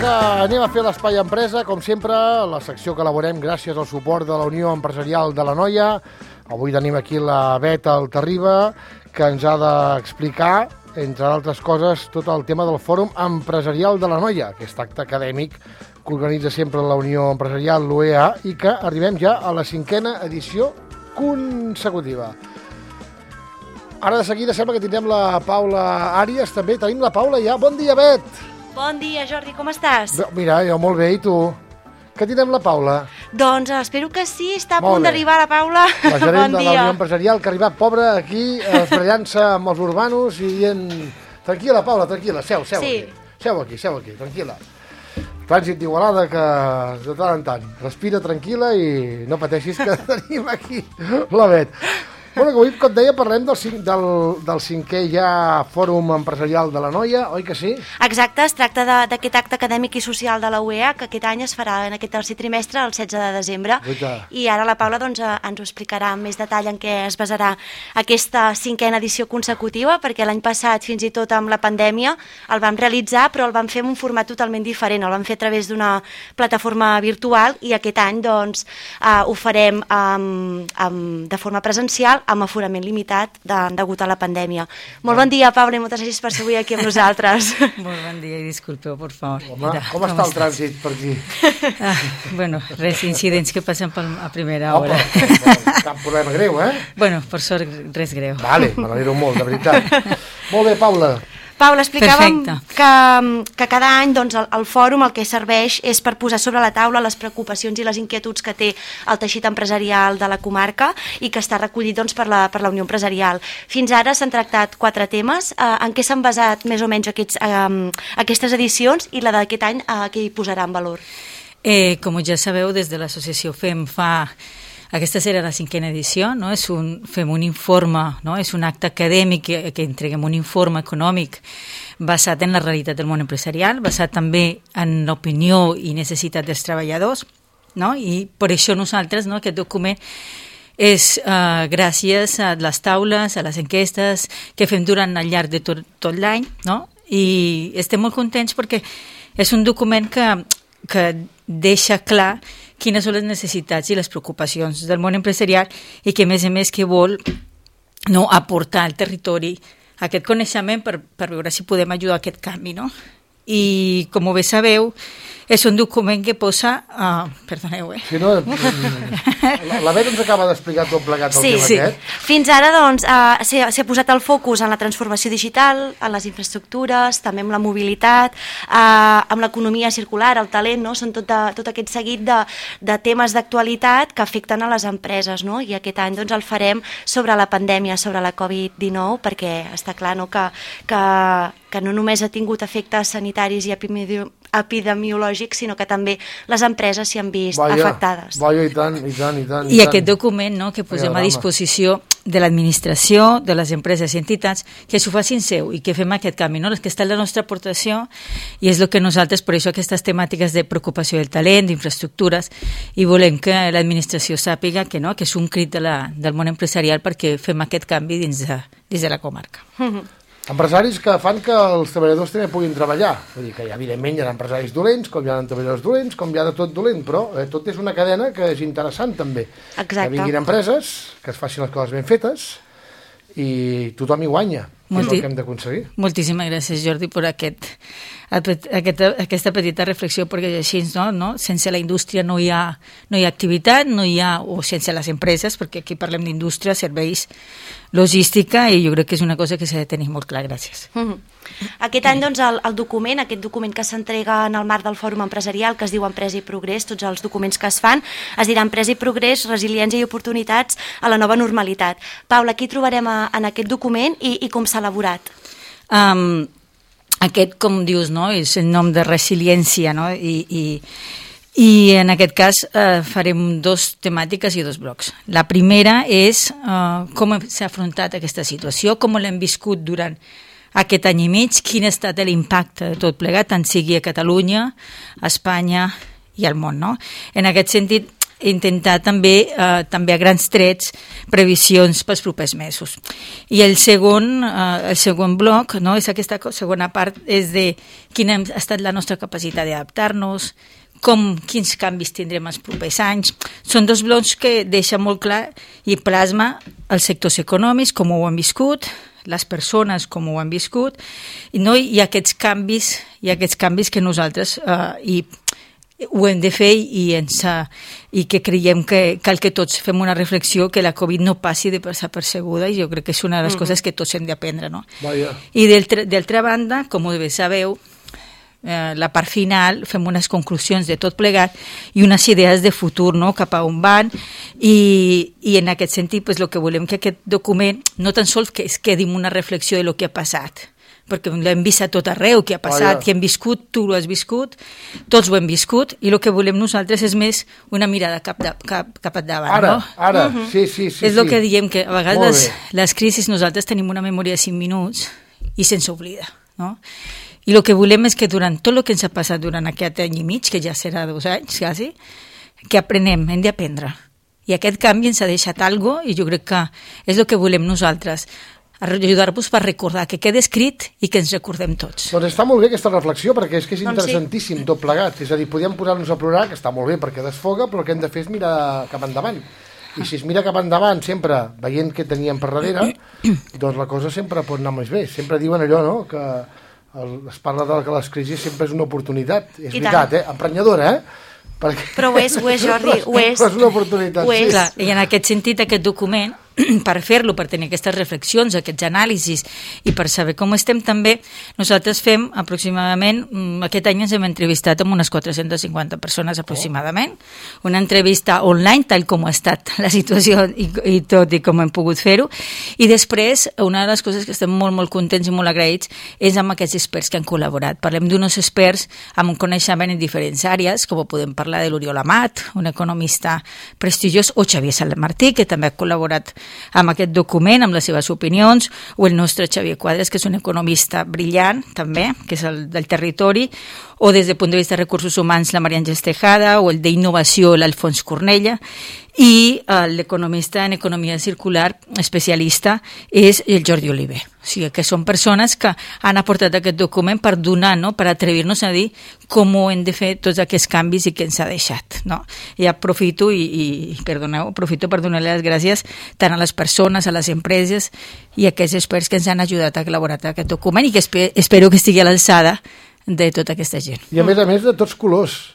que anem a fer l'Espai Empresa, com sempre, la secció que elaborem gràcies al suport de la Unió Empresarial de l'Anoia. Avui tenim aquí la Bet Altarriba, que ens ha d'explicar, entre altres coses, tot el tema del Fòrum Empresarial de l'Anoia, aquest acte acadèmic que organitza sempre la Unió Empresarial, l'UEA, i que arribem ja a la 5ª edició consecutiva. Ara de seguida sembla que tindrem la Paula Àries, també tenim la Paula ja. Bon dia, Bet! Bon dia, Jordi, com estàs? Mira, jo molt bé, i tu? Que tindrem la Paula? Doncs espero que sí, està a punt d'arribar la Paula. La gerent de la Unió Empresarial, que ha arribat pobra aquí, esbrellant-se amb els urbanos i dient... Tranquil·la, Paula, tranquil·la, seu aquí. Seu aquí, tranquil·la. Trànsit d'Igualada que de tant en tant. Respira tranquil·la i no pateixis que tenim aquí la Bet. Bueno, avui, com et deia, parlem del 5è ja Fòrum Empresarial de l'Anoia, oi que sí? Exacte, es tracta d'aquest acte acadèmic i social de la UEA, que aquest any es farà en aquest tercer trimestre, el 16 de desembre. I ara la Paula ens ho explicarà amb més detall en què es basarà aquesta 5a edició consecutiva, perquè l'any passat, fins i tot amb la pandèmia, el vam realitzar, però el vam fer en un format totalment diferent. El vam fer a través d'una plataforma virtual i aquest any doncs, ho farem de forma presencial, amb aforament limitat degut a la pandèmia. Molt bon dia, Paula, i moltes gràcies per ser avui aquí amb nosaltres. Molt bon dia i disculpeu, por favor. Home, com està el trànsit per aquí? Bueno, incidents que passen a primera hora. Cap problema greu, eh? Bueno, per sort, res greu. Vale, me n'alegro molt, de veritat. Molt bé, Paula. Paula, explicàvem que cada any doncs, el fòrum el que serveix és per posar sobre la taula les preocupacions i les inquietuds que té el teixit empresarial de la comarca i que està recollit doncs, per la Unió Empresarial. Fins ara s'han tractat 4 temes. En què s'han basat més o menys aquestes edicions i la d'aquest any què hi posarà en valor? Com ja sabeu, des de l'associació FEM aquesta serà la 5a edició, no? Fem un informe, no? És un acte acadèmic que entreguem un informe econòmic basat en la realitat del món empresarial, basat també en l'opinió i necessitat dels treballadors, no? I per això nosaltres, no? Aquest document és gràcies a les taules, a les enquestes que fem durant el llarg de tot l'any, no? I estem molt contents perquè és un document que deixa clar quines són les necessitats i les preocupacions del món empresarial i que, a més, que vol aportar al territori aquest coneixement per veure si podem ajudar a aquest canvi, no? I, com bé sabeu, és un document que posa... Perdoneu, Si no, la Bet ens acaba d'explicar tot plegat el tema aquest. Fins ara, doncs, s'ha posat el focus en la transformació digital, en les infraestructures, també en la mobilitat, amb l'economia circular, el talent, no? Són tot aquest seguit de temes d'actualitat que afecten a les empreses, no? I aquest any doncs, el farem sobre la pandèmia, sobre la Covid-19, perquè està clar, no? que no només ha tingut efectes sanitaris i epidemiològics, sinó que també les empreses s'hi han vist afectades. I tant. I aquest document, no, que posem a disposició de l'administració, de les empreses i entitats, que s'ho facin seu i que fem aquest canvi, no? És que està la nostra aportació i és el que nosaltres, per això aquestes temàtiques de preocupació del talent, d'infraestructures, i volem que l'administració sàpiga que és un crit del món empresarial perquè fem aquest canvi dins de la comarca. Empresaris que fan que els treballadors també puguin treballar. Vull dir que evidentment hi ha empresaris dolents, com hi ha treballadors dolents, com hi ha de tot dolent, però tot és una cadena que és interessant també. Exacte. Que vinguin empreses, que es facin les coses ben fetes i tothom hi guanya. És el que hem d'aconseguir. Moltíssimes gràcies, Jordi, per aquesta petita reflexió, perquè així, no? Sense la indústria no hi ha activitat, o sense les empreses, perquè aquí parlem d'indústria, serveis, logística, i jo crec que és una cosa que s'ha de tenir molt clar. Gràcies. Aquest any, doncs, aquest document que s'entrega en el marc del Fòrum Empresarial, que es diu Empresa i Progrés, tots els documents que es fan, es dirà Empresa i Progrés, Resiliència i Oportunitats a la nova normalitat. Paula, aquí trobarem en aquest document i com s'ha elaborat? Aquest, com dius, no? És el nom de resiliència, no? I en aquest cas farem 2 temàtiques i 2 blocs. La primera és com s'ha afrontat aquesta situació, com l'hem viscut durant aquest any i mig, quin ha estat l'impacte de tot plegat, tant sigui a Catalunya, a Espanya i al món, no? En aquest sentit, intentar també a grans trets previsions pels propers mesos. I el segon bloc, no, és aquesta segona part, és de quina ha estat la nostra capacitat d'adaptar-nos, quins canvis tindrem els propers anys. Són dos blocs que deixen molt clar i plasma els sectors econòmics, com ho han viscut, les persones com ho han viscut, i aquests canvis que nosaltres ho hem de fer i que creiem que cal que tots fem una reflexió que la Covid no passi de passar percebuda, i jo crec que és una de les coses que tots hem d'aprendre, no? I d'altra banda, com bé sabeu, la part final fem unes conclusions de tot plegat i unes idees de futur, no? Cap a on van, i en aquest sentit el que volem que aquest document no tan sols que es quedi una reflexió de lo que ha passat, perquè l'hem vist a tot arreu, que ha passat, que hem viscut, tu ho has viscut, tots ho hem viscut, i el que volem nosaltres és més una mirada cap endavant. Ara, sí. És el que diem, que a vegades les crisis nosaltres tenim una memòria de 5 minuts i se'ns oblida, no? I el que volem és que durant tot el que ens ha passat durant aquest any i mig, que ja serà 2 anys quasi, que aprenem, hem d'aprendre. I aquest canvi ens ha deixat alguna cosa, i jo crec que és el que volem nosaltres, ajudar-vos per recordar, que quedi escrit i que ens recordem tots. Doncs està molt bé aquesta reflexió, perquè és que és interessantíssim tot plegat. És a dir, podíem posar-nos a plorar, que està molt bé perquè desfoga, però el que hem de fer és mirar cap endavant. I si es mira cap endavant, sempre veient què teníem per darrere, doncs la cosa sempre pot anar més bé. Sempre diuen allò, no?, que es parla de que les crisis sempre és una oportunitat. És veritat, emprenyadora, Però ho és, Jordi, ho és. És una oportunitat, sí. Clar, i en aquest sentit, aquest document, per fer-lo, per tenir aquestes reflexions, aquests anàlisis, i per saber com estem també, nosaltres fem aproximadament, aquest any ens hem entrevistat amb unes 450 persones aproximadament, una entrevista online, tal com ha estat la situació i tot, i com hem pogut fer-ho, i després, una de les coses que estem molt, molt contents i molt agraïts és amb aquests experts que han col·laborat. Parlem d'uns experts amb un coneixement en diferents àrees, com podem parlar de l'Oriol Amat, un economista prestigiós, o Xavier Salamartí, que també ha col·laborat amb aquest document, amb les seves opinions, o el nostre Xavier Quadres, que és un economista brillant, també, que és el del territori, o des del punt de vista de recursos humans, la Maria Àngels Tejada, o el d'innovació, l'Alfons Cornella, i l'economista en economia circular especialista és el Jordi Oliver. O sigui, que són persones que han aportat aquest document per donar, no?, per atrevir-nos a dir com ho hem de fer tots aquests canvis i què ens ha deixat, no? I aprofito aprofito per donar les gràcies tant a les persones, a les empreses i a aquests experts que ens han ajudat a elaborar aquest document i que espero que estigui a l'alçada de tota aquesta gent. I a més de tots colors.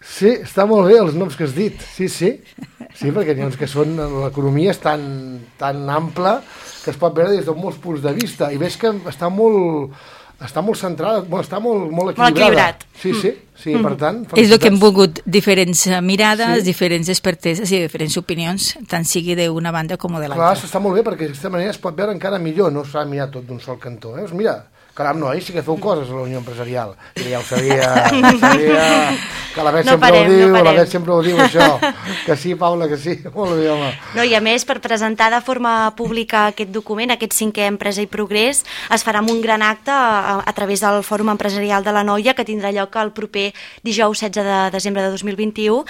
Sí, està molt bé els noms que has dit. Sí, perquè n'hi ha uns que són... L'economia és tan ampla que es pot veure des de molts punts de vista i veig que està molt centrada, està molt equilibrat. Sí, per tant... És el que hem volgut, diferents mirades, diferents experteses i diferents opinions, tant sigui d'una banda com de l'altra. Clar, està molt bé perquè d'aquesta manera es pot veure encara millor, no s'ha de mirar tot d'un sol cantó. Mira, caram, no, sí que feu coses a la Unió Empresarial. I ja ho sabia, que la Bet sempre ho diu, això. Que sí, Paula, que sí. Molt bé, home. No, i a més, per presentar de forma pública aquest document, aquest 5è Empresa i Progrés, es farà amb un gran acte a través del Fòrum Empresarial de l'Anoia, que tindrà lloc el proper dijous 16 de desembre de 2021.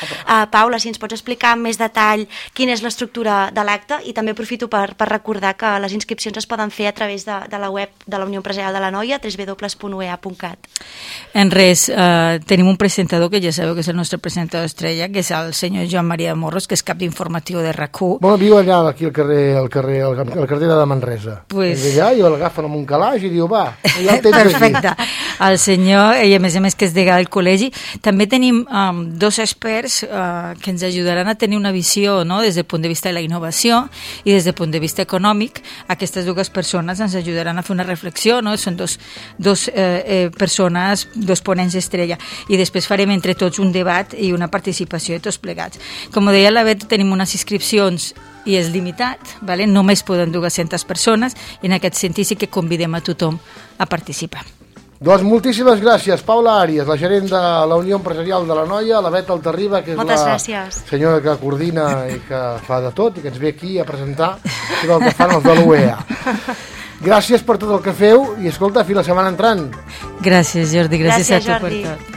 Paula, si ens pots explicar amb més detall quina és l'estructura de l'acte, i també aprofito per recordar que les inscripcions es poden fer a través de la web de la Unió Empresarial de l'Anoia, www.uea.cat. En res, tenim un presentador que ja sabeu que és el nostre presentador estrella, que és el senyor Joan Maria Morros, que és cap d'informatiu de RAC1. Bueno, viu allà, aquí al carrer de Manresa. Pues... És allà, i l'agafen amb un calaix i diu, va, ja el tens aquí. Perfecte. El senyor, i a més que és degà del col·legi, també tenim 2 experts que ens ajudaran a tenir una visió, no?, des del punt de vista de la innovació i des del punt de vista econòmic. Aquestes 2 persones ens ajudaran a fer una reflexió, no? Són dos persones, 2 ponents estrella, i després farem entre tots un debat i una participació de tots plegats. Com deia la Bet, tenim unes inscripcions i és limitat, ¿vale? Només poden 200 persones, i en aquest sentit sí que convidem a tothom a participar. Doncs moltíssimes gràcies, Paula Àries, la gerent de la Unió Empresarial de l'Anoia, la Bet Altarriba, que és la senyora que coordina i que fa de tot, i que ens ve aquí a presentar tot el que fan els de l'UEA. Gràcies per tot el que feu i escolta, fins la setmana entrant. Gràcies, Jordi, gràcies a tu per tot.